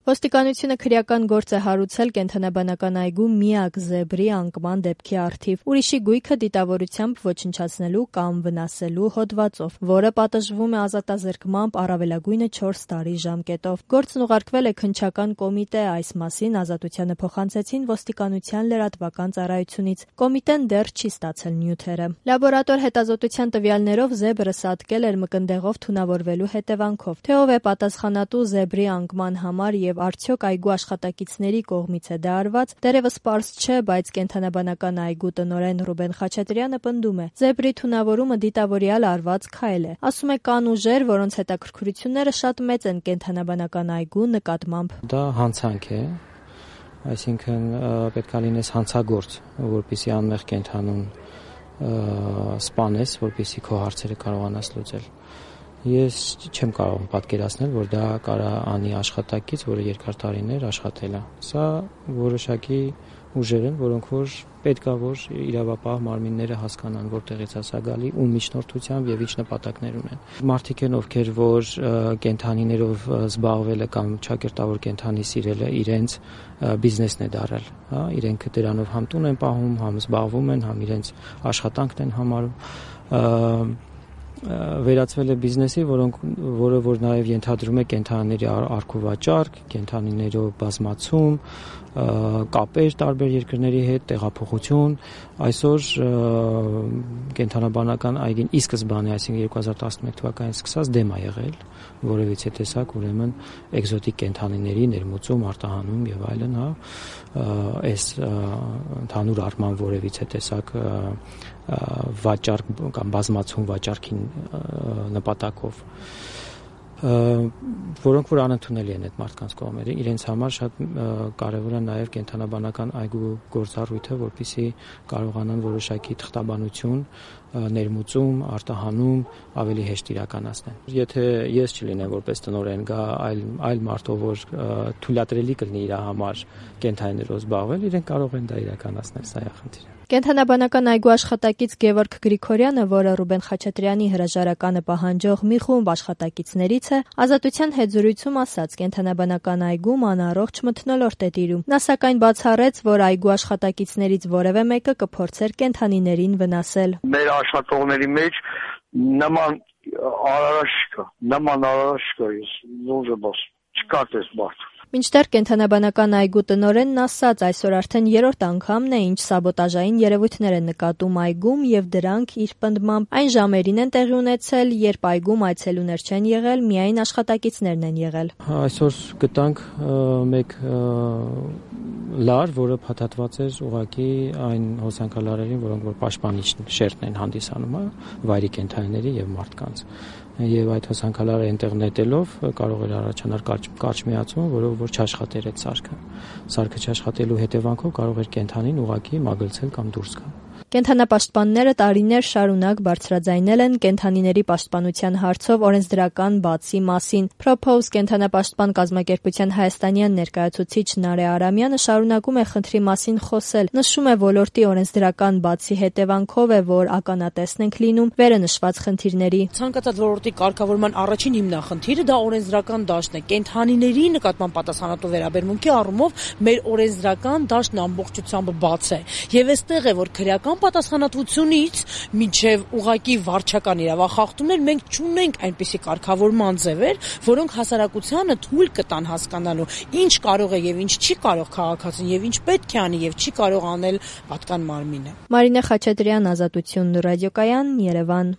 Ոստիկանությունը քրեական գործ է հարուցել կենդանաբանական այգու միակ զեբրի անկման դեպքի առթիվ ուրիշի գույքը դիտավորությամբ ոչնչացնելու կամ վնասելու հոդվածով, որը պատժվում է ազատազրկմամբ առավելագույնը 4 տարի ժամկետով։ Գործն ուղարկվել է քննչական կոմիտե, այս մասին Ազատությանը փոխանցեցին ոստիկանության լրատվական ծառայությունից։ Կոմիտեն դեռ չի ստացել նյութերը։ Լաբորատոր հետազոտության տվյալներով զեբրը սատկել էր մկնդեղով թունավորվելու հետևանքով։ Թե ով է պատասխանատու զեբրի անկման համար եւ արդյոք այգու աշխատակիցների կողմից է դա արված, դեռևս պարզ չէ, բայց կենդանաբանական այգու տնօրեն Ռուբեն Խաչատրյանը պնդում է. Զեբրի թունավորումը դիտավորյալ արված քայլ է։ Ասում է, կան ուժեր, որոնց հետաքրքրությունները շատ մեծ են կենդանաբանական այգու նկատմամբ։ Դա հանցանք է, այսինքն պետք է լինես հանցագործ, որպեսզի անմեղ կենդանուն սպանես, որպեսզի քո հարցերը կարողանաս լուծել։ Ես չեմ կարող պատկերացնել, որ դա կարա անի աշխատակից, որը երկար տարիներ աշխատել է։ Սա որոշակի ուժեր են, որոնք որ պետք է որ իրավապահ մարմինները հասկանան, որտեղից է սա գալի, ում միջնորդությամբ եւ ինչ նպատակներ ունեն։ Մարդիկ են, ովքեր որ կենդանիներով զբաղվելը կամ ճակերտավոր կենդանի սիրելը իրենց բիզնեսն է դարել, հա, իրենք դրանով համ տուն են պահում, համ զբաղվում են, համ իրենց աշխատանքն են համարում։ Վերածվել է բիզնեսի, որը որ նաև ենթադրում է կենդանիների առքուվաճառք, կենդանիներով բազմացում, կապեր տարբեր երկրների հետ, տեղափոխություն։ Այսօր կենդանաբանական այգին ի սկզբանե, այսինքն 2011 թվականից սկսած դեմ է եղել որևիցե տեսակ ուրեմն էկզոտիկ կենդանիների ներմուծում, արտահանում եւ այլն, հա, այս ընդհանուր առմամբ որևիցե տեսակ վաճառք կամ բազմացում վաճառքին նպատակով, որոնք որ անընդունելի են այդ մարդկանց կողմերը։ Իրենց համար շատ կարևոր է նաև կենդանաբանական այգու գործառույթը, որպեսզի կարողանան որոշակի թղթաբանություն, ներմուծում, արտահանում ավելի հեշտ իրականացնել։ Եթե ես չլինեմ որպես տնօրեն, գա այլ մարդով, որ թույլատրելի կլինի իր համար կենդանիներով զբաղվել, իրենք կարող են դա իրականացնել, սա է խնդիրը։ Կենդանաբանական այգու աշխատակից Գևորգ Գրիգորյանը, որը Ռուբեն Խաչատրյանի հրաժարականը պահանջող մի խումբ աշխատակիցներից է, Ազատության հետ զրույցում ասաց, կենդանաբանական այգում անառողջ մթնոլորտ է տիրում։ Նա սակայն բացառեց, որ այգու աշխատակիցներից որևէ մեկը կփորձեր կենդանիներին վնասել։ Մեր աշխատողների մեջ նման արարած կա, ես ոնց եմ ասում, չկա տես մարդ։ Մինչդեռ կենդանաբանական այգու տնօրենն ասաց, այսօր արդեն 3-րդ անգամն է, ինչ սաբոտաժային երևույթներ են նկատում այգում եւ դրանք իր պնդմամբ այն ժամերին են տեղի ունեցել, երբ այգում այցելուներ չեն եղել, միայն աշխատակիցներն են եղել։ Այսօր գտանք մեկ լար, որը փաթաթված էր ուղղակի այն հոսանքալարերին, որոնք որ պաշտպանիչ շերտն են հանդիսանում, վայրի կենդանիների եւ մարդկանց։ Եվ այդ հոսանքալարը այնտեղ նետելով կարող էր առաջանալ կարճ միացում, որով որ չաշխատեր այդ սարքը։ Սարքը չաշխատելու հետևանքով կարող էր կենդանին ուղղակի մագլցել կամ դուրս գալ։ Կենդանապաշտպանները տարիներ շարունակ բարձրաձայնել են կենդանիների պաշտպանության հարցով օրենսդրական բացի մասին։ Propose կենդանապաշտպան կազմակերպության հայաստանյան ներկայացուցիչ Նարե Արամյանը շարունակում է խնդրի մասին խոսել։ Նշում է, ոլորտի օրենսդրական բացի հետևանքով է, որ ականատեսն ենք լինում վերը նշված խնդիրների։ Ցանկացած ոլորտի կարգավորման առաջին հիմնախնդիրը դա օրենսդրական դաշտն է։ Կենդանիների նկատմամբ պատասխանատու վերաբերմունքի առումով մեր օրենսդրական դաշտն ամբողջությամբ բաց է։ Եվ այստեղ է, որ քրեական պատասխանատվությունից մինչև ուղղակի վարչական իրավախախտումներ մենք չունենք այնպիսի կարգավորման ձևեր, որոնք հասարակությանը թույլ կտան հասկանալու ինչ կարող է եւ ինչ չի կարող քաղաքացին եւ ինչ պետք է անի եւ չի կարող անել պատկան մարմինը։ Մարինե Խաչատրյան, Ազատություն ռադիոկայան, Երևան։